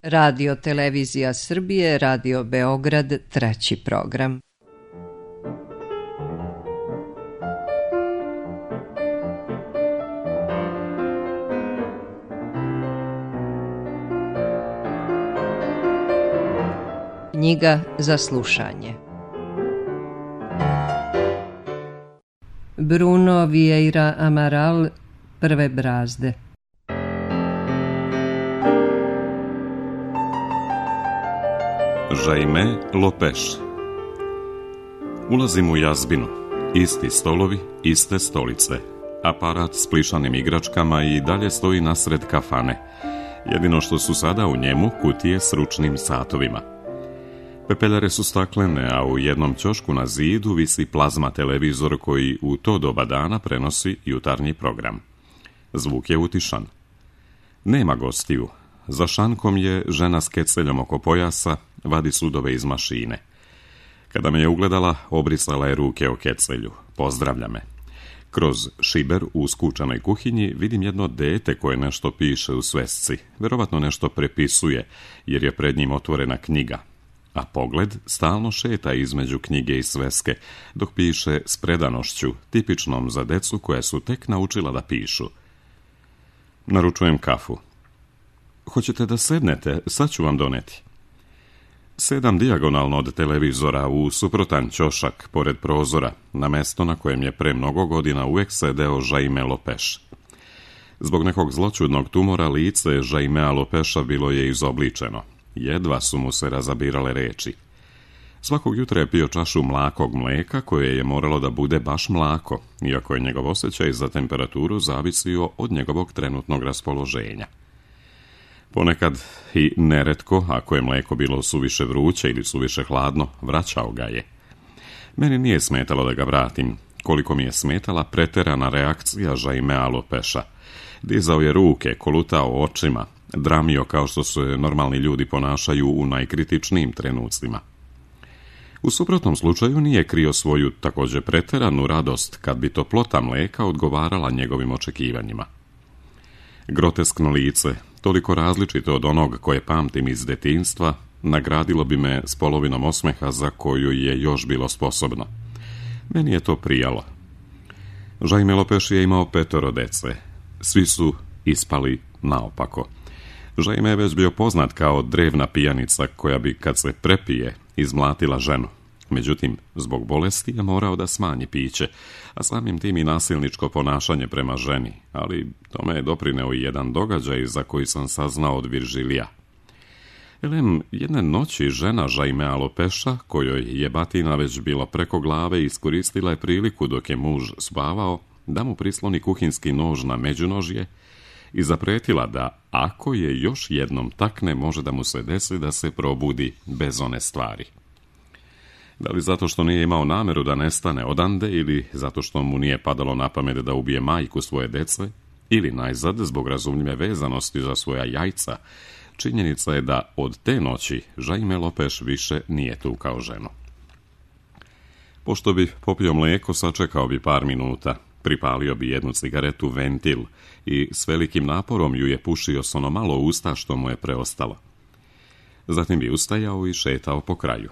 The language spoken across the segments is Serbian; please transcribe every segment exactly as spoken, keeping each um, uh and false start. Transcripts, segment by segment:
Radio Televizija Srbije, Radio Beograd, treći program. Knjiga za slušanje. Bruno Vieira Amaral, Prve brazde. Jaime Lopeš. Ulazim u jazbinu. Isti stolovi, iste stolice. Aparat s plišanim igračkama i dalje stoji nasred kafane. Jedino što su sada u njemu kutije s ručnim satovima. Pepeljare su staklene, a u jednom ćošku na zidu visi plazma televizor koji u to doba dana prenosi jutarnji program. Zvuk je utišan. Nema gostiju. Za šankom je žena s keceljom oko pojasa, vadi sudove iz mašine. Kada me je ugledala, obrisala je ruke o kecelju. Pozdravlja me. Kroz šiber u skučanoj kuhinji vidim jedno dete koje nešto piše u svesci. Verovatno nešto prepisuje, jer je pred njim otvorena knjiga. A pogled stalno šeta između knjige i sveske, dok piše s predanošću, tipičnom za decu koja su tek naučila da pišu. Naručujem kafu. Hoćete da sednete? Sad ću vam doneti. Sedam dijagonalno od televizora u suprotan ćošak pored prozora, na mesto na kojem je pre mnogo godina uvek sedeo Jaime Lopeš. Zbog nekog zločudnog tumora lice Jaimea Lopeša bilo je izobličeno. Jedva su mu se razabirale reči. Svakog jutra je pio čašu mlakog mleka koje je moralo da bude baš mlako, iako je njegov osjećaj za temperaturu zavisio od njegovog trenutnog raspoloženja. Ponekad i neretko, ako je mleko bilo suviše vruće ili suviše hladno, vraćao ga je. Meni nije smetalo da ga vratim, koliko mi je smetala preterana reakcija Jaimea Lopeša. Dizao je ruke, kolutao očima, dramio kao što se normalni ljudi ponašaju u najkritičnijim trenucima. U suprotnom slučaju nije krio svoju također preteranu radost kad bi toplota mleka odgovarala njegovim očekivanjima. Groteskno lice, toliko različito od onog koje pamtim iz detinjstva, nagradilo bi me s polovinom osmeha za koju je još bilo sposobno. Meni je to prijalo. Jaime Lopeš je imao petoro dece. Svi su ispali naopako. Jaime je već bio poznat kao drevna pijanica koja bi, kad se prepije, izmlatila ženu. Međutim, zbog bolesti je morao da smanji piće, a samim tim i nasilničko ponašanje prema ženi, ali tome je doprineo i jedan događaj za koji sam saznao od Viržilija. Elem, jedne noći žena Jaimea Lopeša, kojoj je batina već bila preko glave, iskoristila je priliku dok je muž spavao da mu prisloni kuhinski nož na međunožje i zapretila da, ako je još jednom takne, može da mu se desi da se probudi bez one stvari. Da li zato što nije imao nameru da nestane odande, ili zato što mu nije padalo na pamet da ubije majku svoje dece, ili najzad zbog razumljive vezanosti za svoja jajca, činjenica je da od te noći Jaime Lopeš više nije tukao ženu. Pošto bi popio mlijeko, sačekao bi par minuta, pripalio bi jednu cigaretu ventil i s velikim naporom ju je pušio s ono malo usta što mu je preostalo. Zatim bi ustajao i šetao po kraju.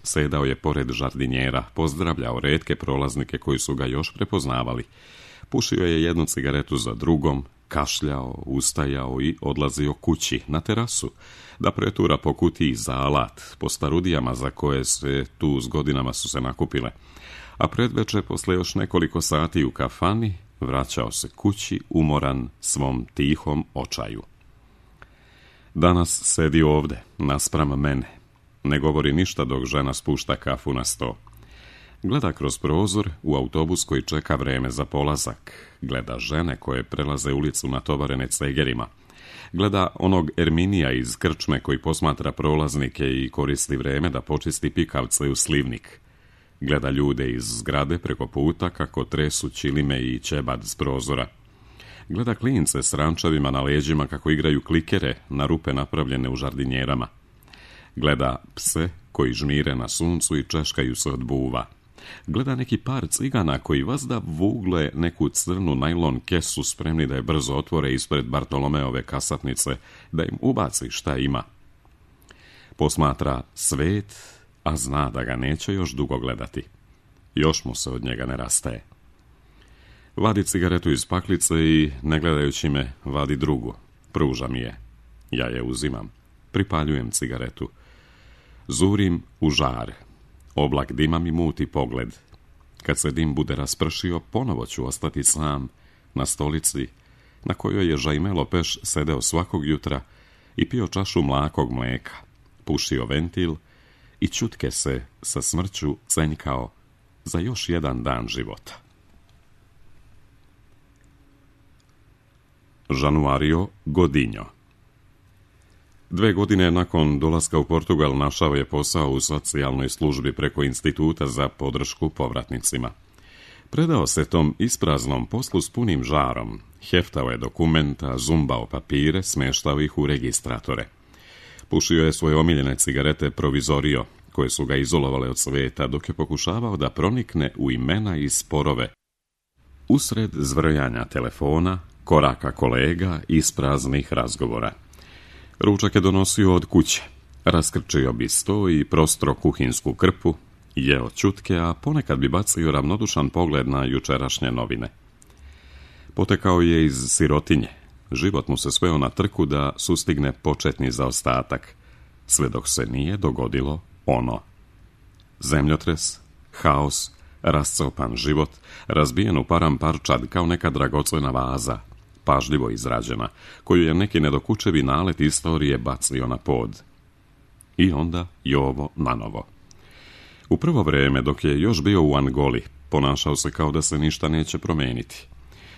Sedao je pored žardinjera, pozdravljao retke prolaznike koji su ga još prepoznavali. Pušio je jednu cigaretu za drugom, kašljao, ustajao i odlazio kući, na terasu, da pretura po kutiji za alat, po starudijama za koje se tu s godinama su se nakupile. A predveče, posle još nekoliko sati u kafani, vraćao se kući umoran svom tihom očaju. Danas sedi ovde, naspram mene. Ne govori ništa dok žena spušta kafu na sto. Gleda kroz prozor u autobus koji čeka vreme za polazak. Gleda žene koje prelaze ulicu natovarene cegerima. Gleda onog Erminija iz krčme koji posmatra prolaznike i koristi vreme da počisti pikavce u slivnik. Gleda ljude iz zgrade preko puta kako tresu ćilime i ćebad s prozora. Gleda klince s rančevima na leđima kako igraju klikere na rupe napravljene u žardinjerama. Gleda pse koji žmire na suncu i češkaju se od buva. Gleda neki par cigana koji vazda vugle neku crnu najlon kesu spremni da je brzo otvore ispred Bartolomeove kasapnice, da im ubaci šta ima. Posmatra svet, a zna da ga neće još dugo gledati. Još mu se od njega ne rastaje. Vadi cigaretu iz paklice i, ne gledajući me, vadi drugu. Pruža mi je. Ja je uzimam. Pripaljujem cigaretu. Zurim u žar. Oblak dima mi muti pogled. Kad se dim bude raspršio, ponovo ću ostati sam na stolici na kojoj je Žajmelo Peš sedeo svakog jutra i pio čašu mlakog mlijeka, pušio ventil i čutke se sa smrću cenjkao za još jedan dan života. Januario Godinho. Dve godine nakon dolaska u Portugal našao je posao u socijalnoj službi preko Instituta za podršku povratnicima. Predao se tom ispraznom poslu s punim žarom, heftao je dokumenta, zumbao papire, smeštao ih u registratore. Pušio je svoje omiljene cigarete Provizorio, koje su ga izolovale od sveta, dok je pokušavao da pronikne u imena i sporove. Usred zvrjanja telefona, koraka kolega i ispraznih razgovora. Ručak je donosio od kuće. Raskrčio bi sto i prostro kuhinsku krpu, jeo čutke, a ponekad bi bacio ravnodušan pogled na jučerašnje novine. Potekao je iz sirotinje. Život mu se sveo na trku da sustigne početni zaostatak, sve dok se nije dogodilo ono. Zemljotres, haos, rascopan život, razbijen u param parčad kao neka dragocjena vaza, pažljivo izrađena, koju je neki nedokučevi nalet istorije bacio na pod. I onda Jovo nanovo. U prvo vrijeme, dok je još bio u Angoli, ponašao se kao da se ništa neće promijeniti.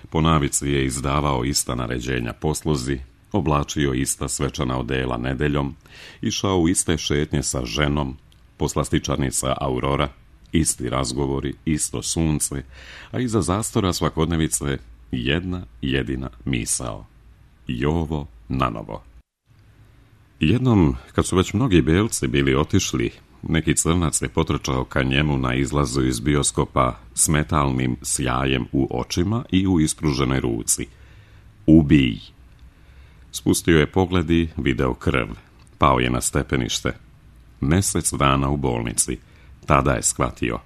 Po navici je izdavao ista naređenja posluzi, oblačio ista svečana odela nedeljom, išao u iste šetnje sa ženom, poslastičarnica Aurora, isti razgovori, isto sunce, a iza zastora svakodnevice jedna jedina misao. Jovo nanovo. Jednom, kad su već mnogi belci bili otišli, neki crnac je potrčao ka njemu na izlazu iz bioskopa s metalnim sjajem u očima i u ispruženoj ruci. Ubij! Spustio je pogled i video krv. Pao je na stepenište. Mesec dana u bolnici. Tada je shvatio.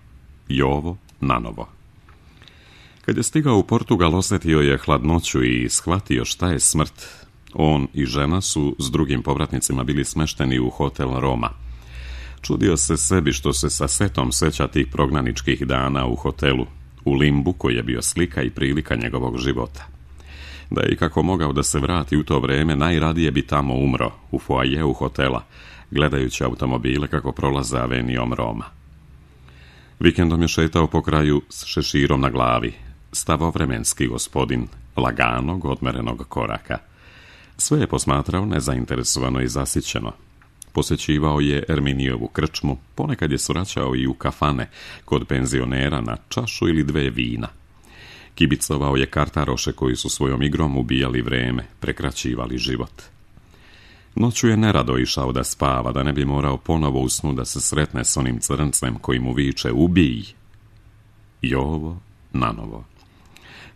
Jovo nanovo. Kad je stigao u Portugal, osjetio je hladnoću i shvatio šta je smrt. On i žena su s drugim povratnicima bili smešteni u hotel Roma. Čudio se sebi što se sa setom seća tih prognaničkih dana u hotelu, u limbu koji je bio slika i prilika njegovog života. Da je i kako mogao da se vrati u to vrijeme, najradije bi tamo umro, u foajeu hotela, gledajući automobile kako prolaze avenijom Roma. Vikendom je šetao po kraju s šeširom na glavi, stavovremenski gospodin, laganog, odmerenog koraka. Sve je posmatrao nezainteresovano i zasićeno. Posjećivao je Erminijevu krčmu, ponekad je svraćao i u kafane, kod penzionera na čašu ili dve vina. Kibicovao je kartaroše koji su svojom igrom ubijali vreme, prekraćivali život. Noću je nerado išao da spava, da ne bi morao ponovo u snu da se sretne s onim crncem koji mu viče ubij. Jovo nanovo.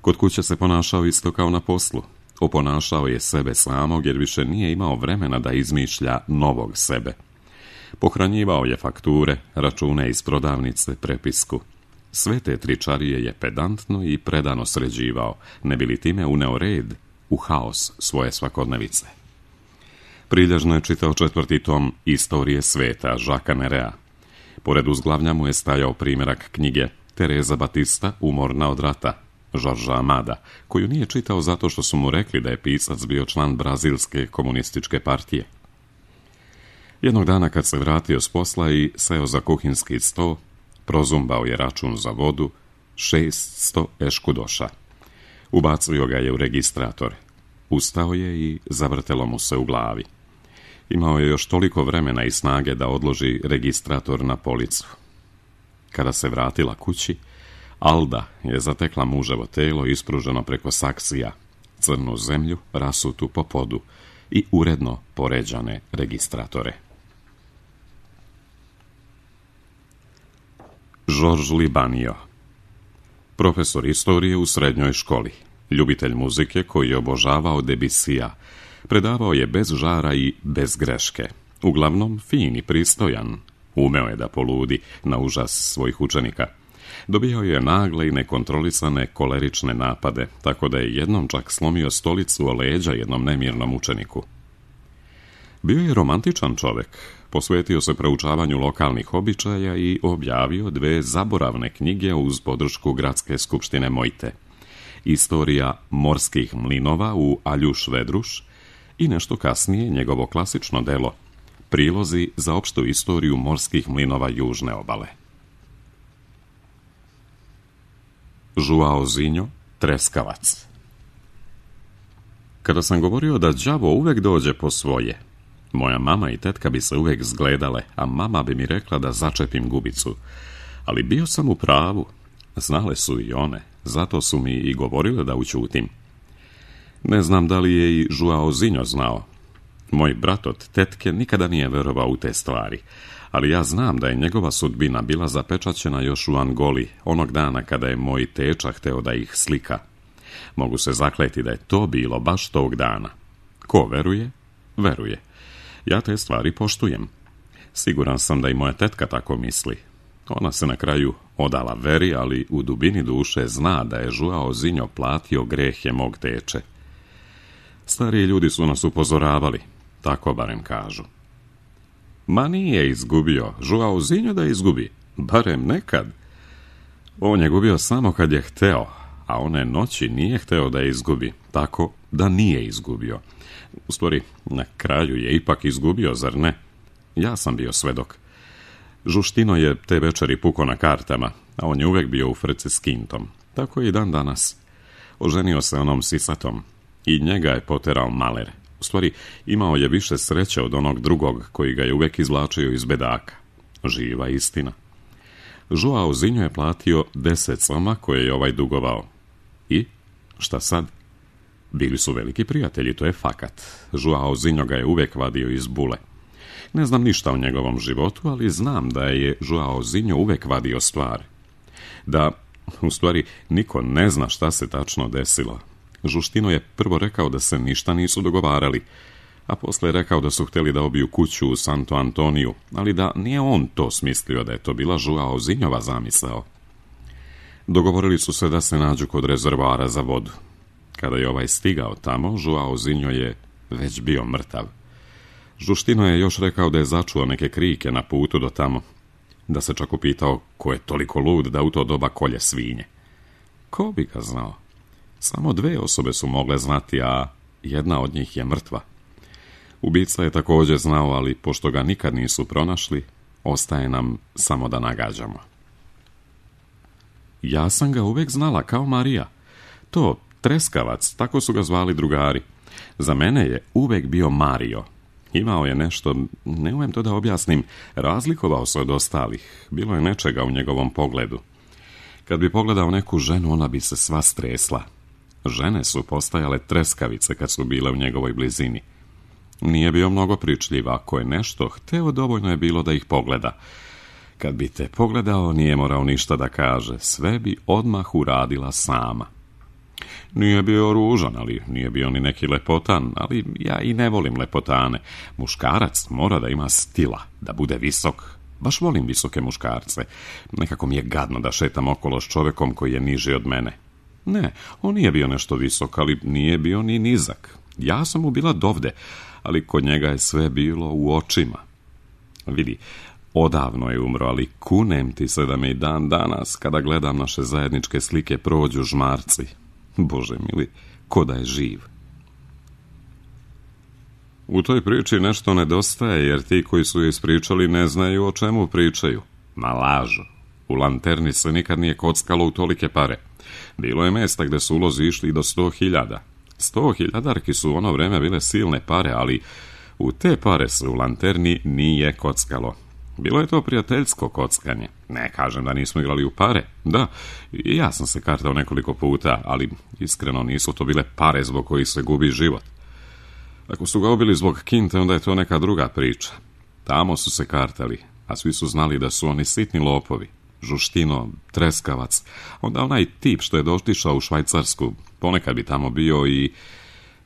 Kod kuće se ponašao isto kao na poslu. Oponašao je sebe samog jer više nije imao vremena da izmišlja novog sebe. Pohranjivao je fakture, račune iz prodavnice, prepisku. Sve te tričarije je pedantno i predano sređivao, ne bi li time uneo red u haos svoje svakodnevice. Prilježno je čitao četvrti tom Istorije sveta Žaka Nerea. Pored uzglavlja mu je stajao primjerak knjige Tereza Batista, Umorna od rata, Žorža Amada, koju nije čitao zato što su mu rekli da je pisac bio član brazilske komunističke partije. Jednog dana kad se vratio s posla i seo za kuhinski sto, prozumbao je račun za vodu, šeststo eškudoša. Ubacio ga je u registrator. Ustao je i zavrtelo mu se u glavi. Imao je još toliko vremena i snage da odloži registrator na policu. Kada se vratila kući, Alda je zatekla muževo telo ispruženo preko saksija, crnu zemlju rasutu po podu i uredno poređane registratore. Georges Libanio, profesor istorije u srednjoj školi, ljubitelj muzike koji je obožavao Debussija, predavao je bez žara i bez greške, Uglavnom fin i pristojan. Umeo je da poludi na užas svojih učenika. Dobijao je nagle i nekontrolisane kolerične napade, tako da je jednom čak slomio stolicu o leđa jednom nemirnom učeniku. Bio je romantičan čovjek, posvetio se proučavanju lokalnih običaja i objavio dve zaboravne knjige uz podršku Gradske skupštine Mojte. Istorija morskih mlinova u Aljuš Vedruš i nešto kasnije njegovo klasično delo Prilozi za opštu istoriju morskih mlinova južne obale. Joao Zinho, treskavac. Kada sam govorio da đavo uvek dođe po svoje, moja mama i tetka bi se uvek zgledale, a mama bi mi rekla da začepim gubicu. Ali bio sam u pravu, znale su i one, zato su mi i govorile da ućutim. Ne znam da li je i Joao Zinho znao. Moj brat od tetke nikada nije verovao u te stvari, ali ja znam da je njegova sudbina bila zapečaćena još u Angoli, onog dana kada je moj teča hteo da ih slika. Mogu se zakleti da je to bilo baš tog dana. Ko veruje, veruje. Ja te stvari poštujem. Siguran sam da i moja tetka tako misli. Ona se na kraju odala veri, ali u dubini duše zna da je Joao Zinho platio grehe mog teče. Stariji ljudi su nas upozoravali, tako barem kažu. Ma nije izgubio, Joao Zinho da izgubi, barem nekad. On je gubio samo kad je hteo, a one noći nije hteo da je izgubi, tako da nije izgubio. U stvari, na kraju je ipak izgubio, zar ne? Ja sam bio svedok. Žuštino je te večeri puko na kartama, a on je uvek bio u frci s kintom. Tako i dan danas. Oženio se onom sisatom i njega je poterao maler. U stvari, imao je više sreće od onog drugog koji ga je uvek izvlačio iz bedaka. Živa istina. Joao Zinho je platio deset soma koje je ovaj dugovao. I šta sad? Bili su veliki prijatelji, to je fakat. Joao Zinho ga je uvek vadio iz bule. Ne znam ništa o njegovom životu, ali znam da je Joao Zinho uvek vadio stvari. Da, u stvari, niko ne zna šta se tačno desilo. Žuštino je prvo rekao da se ništa nisu dogovarali, a posle je rekao da su hteli da obiju kuću u Santo Antoniju, ali da nije on to smislio, da je to bila Joao Zinhova zamisao. Dogovorili su se da se nađu kod rezervoara za vodu. Kada je ovaj stigao tamo, Joao Zinho je već bio mrtav. Žuštino je još rekao da je začuo neke krike na putu do tamo, da se čak upitao ko je toliko lud da u to doba kolje svinje. Ko bi ga znao? Samo dve osobe su mogle znati, a jedna od njih je mrtva. Ubica je također znao, ali pošto ga nikad nisu pronašli, ostaje nam samo da nagađamo. Ja sam ga uvek znala kao Marija. To, treskavac, tako su ga zvali drugari. Za mene je uvek bio Mario. Imao je nešto, ne umem to da objasnim, razlikovao se od ostalih. Bilo je nečega u njegovom pogledu. Kad bi pogledao neku ženu, ona bi se sva stresla. Žene su postajale treskavice kad su bile u njegovoj blizini. Nije bio mnogo pričljiv, ako je nešto hteo, dovoljno je bilo da ih pogleda. Kad bi te pogledao, nije morao ništa da kaže, sve bi odmah uradila sama. Nije bio ružan, ali nije bio ni neki lepotan, ali ja i ne volim lepotane. Muškarac mora da ima stila, da bude visok. Baš volim visoke muškarce. Nekako mi je gadno da šetam okolo s čovekom koji je niži od mene. Ne, on nije bio nešto visok, ali nije bio ni nizak. Ja sam mu bila dovde, ali kod njega je sve bilo u očima. Vidi, odavno je umro, ali kunem ti se da me i dan danas, kada gledam naše zajedničke slike, prođu žmarci. Bože mili, ko da je živ. U toj priči nešto nedostaje, jer ti koji su je ispričali ne znaju o čemu pričaju. Ma lažu. U Lanterni se nikad nije kockalo u tolike pare. Bilo je mesta gde su ulozi išli do sto hiljada. Sto hiljadarki su u ono vreme bile silne pare, ali u te pare se u Lanterni nije kockalo. Bilo je to prijateljsko kockanje. Ne kažem da nismo igrali u pare. Da, i ja sam se kartao nekoliko puta, ali iskreno nisu to bile pare zbog kojih se gubi život. Ako su ga ubili zbog kinte, onda je to neka druga priča. Tamo su se kartali, a svi su znali da su oni sitni lopovi. Žuštino, treskavac, onda onaj tip što je doštišao u Švajcarsku, ponekad bi tamo bio i,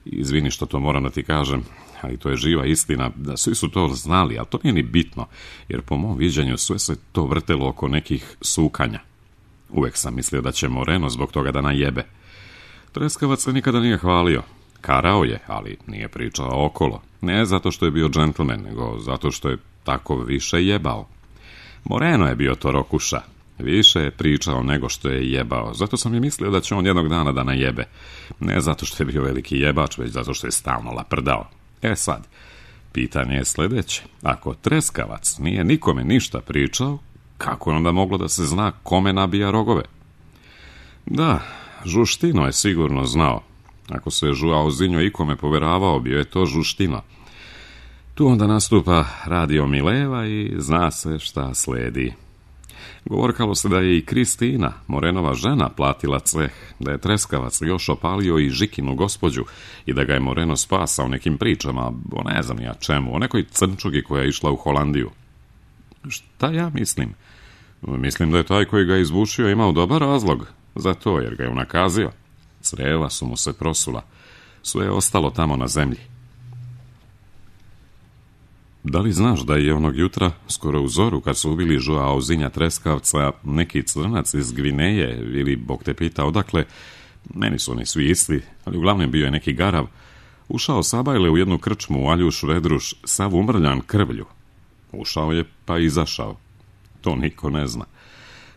izvini što to moram da ti kažem, ali to je živa istina, da svi su to znali, ali to nije ni bitno, jer po mom viđenju sve se to vrtelo oko nekih sukanja. Uvek sam mislio da će Moreno zbog toga da najebe. Treskavac se nikada nije hvalio. Karao je, ali nije pričao okolo. Ne zato što je bio džentlmen, nego zato što je tako više jebao. Moreno je bio to rokuša. Više je pričao nego što je jebao. Zato sam i mislio da će on jednog dana da najebe. Ne zato što je bio veliki jebač, već zato što je stalno laprdao. E sad, pitanje je sljedeće. Ako Treskavac nije nikome ništa pričao, kako je onda moglo da se zna kome nabija rogove? Da, Žuštino je sigurno znao. Ako se je Žuao Zinjo ikome poveravao, bio je to Žuštino. Tu onda nastupa Radio Mileva i zna se šta sledi. Govorkalo se da je i Kristina, Morenova žena, platila ceh, da je Treskavac još opalio i Žikinu gospođu i da ga je Moreno spasao nekim pričama, o ne znam ja čemu, o nekoj crnčugi koja je išla u Holandiju. Šta ja mislim? Mislim da je taj koji ga izbušio imao dobar razlog za to, jer ga je unakazio. Creva su mu se prosula. Sve je ostalo tamo na zemlji. Da li znaš da je onog jutra, skoro u zoru, kad su ubili Žuao Zinja Treskavca, neki crnac iz Gvineje, ili Bog te pita odakle, meni su oni svi isti, ali uglavnom bio je neki garav, ušao sabajle u jednu krčmu u Aljuš Redruš, sav umrljan krvlju. Ušao je pa izašao. To niko ne zna.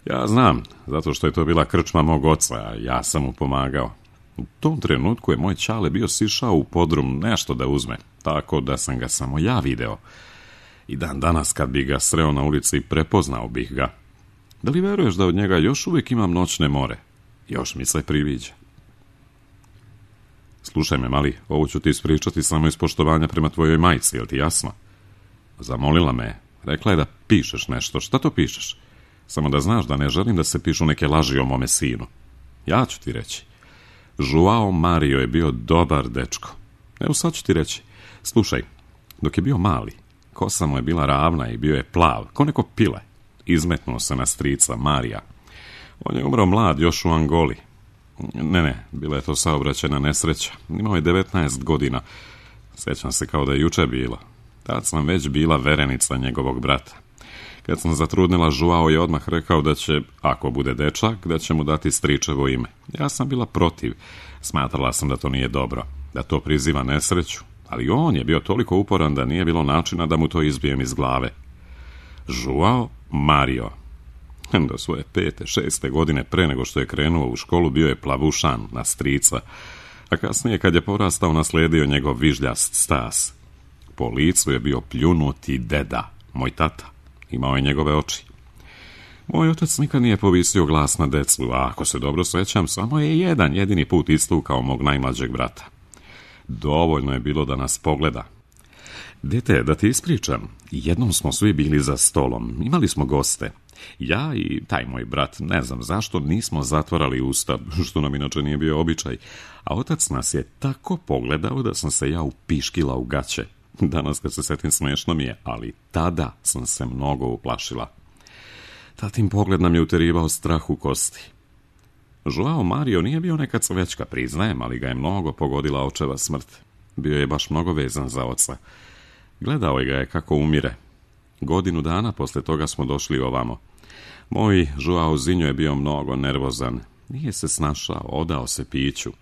Ja znam, zato što je to bila krčma mog oca, a ja sam mu pomagao. U tom trenutku je moj ćale bio sišao u podrum nešto da uzme, tako da sam ga samo ja video. I dan danas kad bi ga sreo na ulici, prepoznao bih ga. Da li veruješ da od njega još uvijek imam noćne more? Još mi se priviđa. Slušaj me, mali, ovo ću ti ispričati samo iz poštovanja prema tvojoj majci, jel ti jasno? Zamolila me, rekla je da pišeš nešto. Šta to pišeš? Samo da znaš da ne želim da se pišu neke laži o mome sinu. Ja ću ti reći. Žuao Mario je bio dobar dečko. Evo sad ću ti reći. Slušaj, dok je bio mali, kosa mu je bila ravna i bio je plav, ko neko pile. Izmetnuo se na strica Marija. On je umro mlad još u Angoli. Ne, ne, bila je to saobraćajna nesreća. Imao je devetnaest godina. Sjećam se kao da je juče bilo. Tad sam već bila verenica njegovog brata. Kad sam zatrudnila, Žuao je odmah rekao da će, ako bude dečak, da će mu dati stričevo ime. Ja sam bila protiv. Smatrala sam da to nije dobro, da to priziva nesreću. Ali on je bio toliko uporan da nije bilo načina da mu to izbijem iz glave. Žuao Mario. Do svoje pete, šeste godine pre nego što je krenuo u školu bio je plavušan na strica, a kasnije kad je porastao nasledio njegov vižljast stas. Po licu je bio pljunuti deda, moj tata. Imao je njegove oči. Moj otac nikad nije povisio glas na decu, a ako se dobro sećam, samo je jedan jedini put istukao mog najmlađeg brata. Dovoljno je bilo da nas pogleda. Dete, da ti ispričam, jednom smo svi bili za stolom, imali smo goste. Ja i taj moj brat, ne znam zašto, nismo zatvarali usta, što nam inače nije bio običaj, a otac nas je tako pogledao da sam se ja upiškila u gaće. Danas kad se setim smešno mi je, ali tada sam se mnogo uplašila. Tatin pogled nam je uterivao strah u kosti. Žuao Mario nije bio neka cvečka, priznajem, ali ga je mnogo pogodila očeva smrt. Bio je baš mnogo vezan za oca. Gledao je ga je kako umire. Godinu dana posle toga smo došli ovamo. Moj Žuao Zinjo je bio mnogo nervozan. Nije se snašao, odao se piću.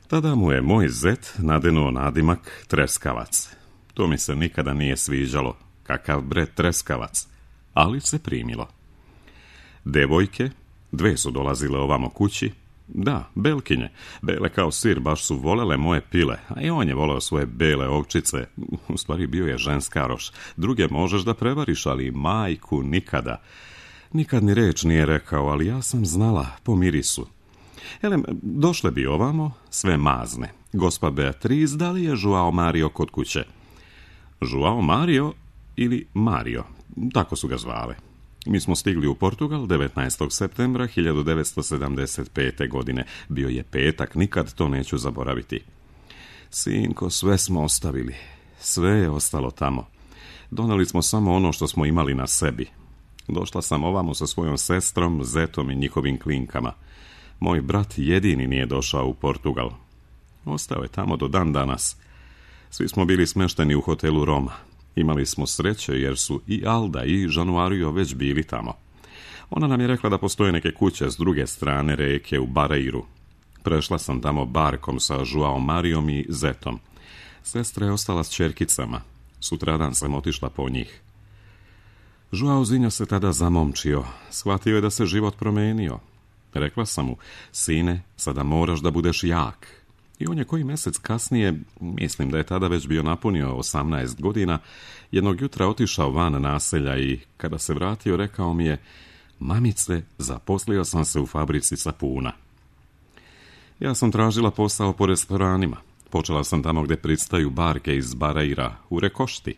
Tada mu je moj zet nadenuo nadimak Treskavac. To mi se nikada nije sviđalo. Kakav bre Treskavac. Ali se primilo. Devojke, dve su dolazile ovamo kući. Da, belkinje. Bele kao sir, baš su volele moje pile. A i on je voleo svoje bele ovčice. U stvari bio je ženskaroš. Druge možeš da prevariš, ali majku nikada. Nikad ni reč nije rekao, ali ja sam znala po mirisu. Elem, došle bi ovamo, sve mazne. Gospa Beatriz, da li je Žuao Mario kod kuće? Žuao Mario ili Mario, tako su ga zvale. Mi smo stigli u Portugal devetnaestog septembra hiljadu devetsto sedamdeset pete. godine. Bio je petak, nikad to neću zaboraviti. Sinko, sve smo ostavili. Sve je ostalo tamo. Doneli smo samo ono što smo imali na sebi. Došla sam ovamo sa svojom sestrom, zetom i njihovim klinkama. Moj brat jedini nije došao u Portugal. Ostao je tamo do dan danas. Svi smo bili smešteni u hotelu Roma. Imali smo sreće jer su i Alda i Januario već bili tamo. Ona nam je rekla da postoje neke kuće s druge strane reke u Barreiru. Prešla sam tamo barkom sa Joao Marijom i Zetom. Sestra je ostala s čerkicama. Sutradan sam otišla po njih. Joaozinho se tada zamomčio. Shvatio je da se život promenio. Rekla sam mu, sine, sada moraš da budeš jak. I on je koji mjesec kasnije, mislim da je tada već bio napunio osamnaest godina, jednog jutra otišao van naselja i kada se vratio rekao mi je, mamice, zaposlio sam se u fabrici sapuna. Ja sam tražila posao po restoranima. Počela sam tamo gdje pristaju barke iz Barreira, u Rekošti.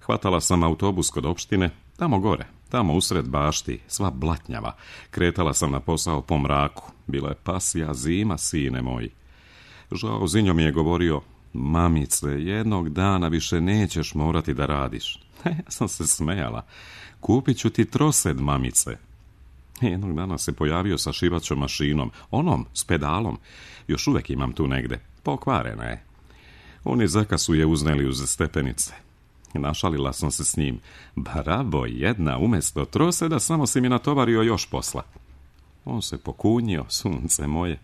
Hvatala sam autobus kod opštine, tamo gore, tamo usred bašti, sva blatnjava. Kretala sam na posao po mraku. Bila je pasija zima, sine moji. Joaozinho mi je govorio, mamice, jednog dana više nećeš morati da radiš. Ja sam se smejala. Kupit ću ti trosed, mamice. Jednog dana se pojavio sa šivaćom mašinom, onom, s pedalom. Još uvijek imam tu negde. Pokvarena je. Oni Zeka su je uzneli uz stepenice. Našalila sam se s njim. Bravo, jedna, umjesto troseda samo si mi natovario još posla. On se pokunjio, sunce moje.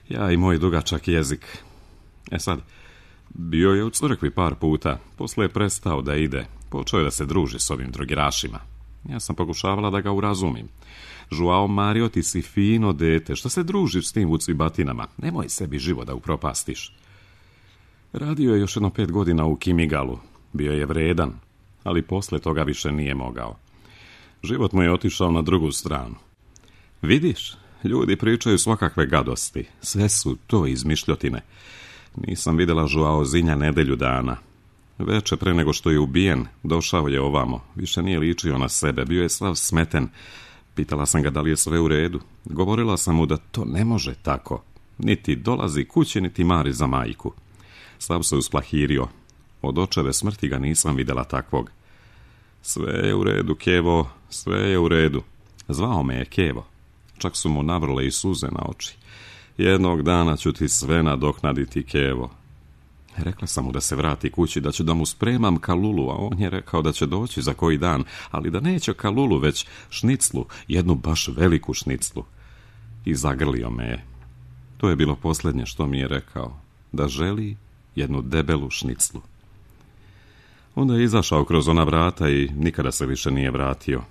Ja i moj dugačak jezik. E sad, bio je u crkvi par puta, poslije je prestao da ide, počeo je da se druži s ovim drogirašima. Ja sam pokušavala da ga urazumim. Joao Mario, ti si fino dete, što se družiš s tim vucibatinama? Nemoj sebi život da upropastiš. Radio je još jedno pet godina u Kimigalu, bio je vredan, ali posle toga više nije mogao. Život mu je otišao na drugu stranu. Vidiš? Ljudi pričaju svakakve gadosti. Sve su to izmišljotine. Nisam vidjela Joaozinha nedelju dana. Veče pre nego što je ubijen, došao je ovamo. Više nije ličio na sebe. Bio je sav smeten. Pitala sam ga da li je sve u redu. Govorila sam mu da to ne može tako. Niti dolazi kući, niti mari za majku. Sav se usplahirio. Od očeve smrti ga nisam vidjela takvog. Sve je u redu, Kevo, sve je u redu. Zvao me je Kevo. Čak su mu navrle i suze na oči. Jednog dana ću ti sve nadoknaditi, Kevo. Rekla sam mu da se vrati kući, da ću da mu spremam kalulu, a on je rekao da će doći za koji dan, ali da neće kalulu, već šniclu, jednu baš veliku šniclu. I zagrlio me je. To je bilo posljednje što mi je rekao, da želi jednu debelu šniclu. Onda je izašao kroz ona vrata i nikada se više nije vratio.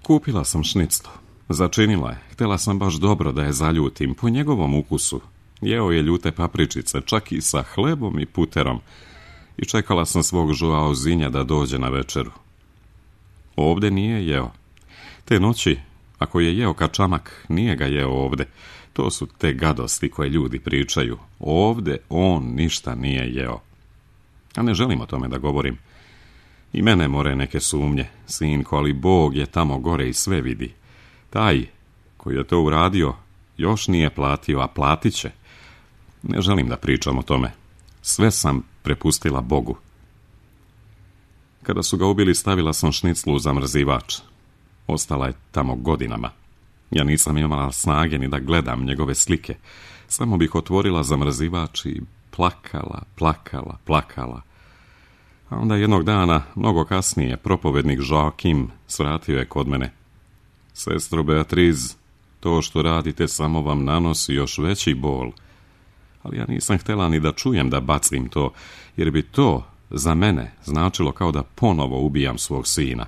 Kupila sam šniclu. Začinila je. Htjela sam baš dobro da je zaljutim, po njegovom ukusu. Jeo je ljute papričice, čak i sa hlebom i puterom. I čekala sam svog Joaozinha da dođe na večeru. Ovdje nije jeo. Te noći, ako je jeo kačamak, nije ga jeo ovdje. To su te gadosti koje ljudi pričaju. Ovdje on ništa nije jeo. A ne želim o tome da govorim. I mene more neke sumnje, sinko, ali Bog je tamo gore i sve vidi. Taj koji je to uradio još nije platio, a platit će. Ne želim da pričam o tome. Sve sam prepustila Bogu. Kada su ga ubili, stavila sam šniclu u zamrzivač. Ostala je tamo godinama. Ja nisam imala snage ni da gledam njegove slike. Samo bih otvorila zamrzivač i plakala, plakala, plakala. A onda jednog dana, mnogo kasnije, propovednik Joakim svratio je kod mene. Sestro Beatriz, to što radite samo vam nanosi još veći bol. Ali ja nisam htjela ni da čujem da bacim to, jer bi to za mene značilo kao da ponovo ubijam svog sina.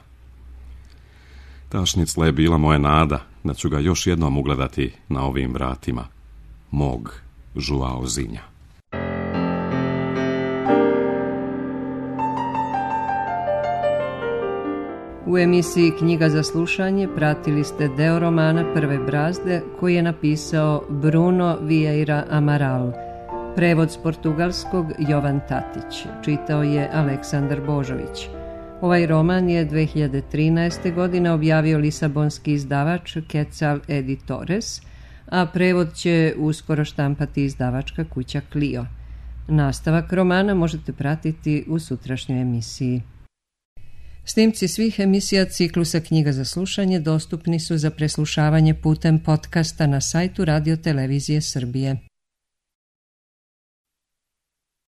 Ta šnicla je bila moja nada da ću ga još jednom ugledati na ovim vratima. Mog Joaozinha. U emisiji Knjiga za slušanje pratili ste deo romana Prve brazde koji je napisao Bruno Vieira Amaral. Prevod s portugalskog Jovan Tatić. Čitao je Aleksandar Božović. Ovaj roman je dve hiljade trinaeste. godine objavio lisabonski izdavač Quetzal Editores, a prevod će uskoro štampati izdavačka kuća Clio. Nastavak romana možete pratiti u sutrašnjoj emisiji. Snimci svih emisija ciklusa Knjiga za slušanje dostupni su za preslušavanje putem podcasta na sajtu Radio Televizije Srbije.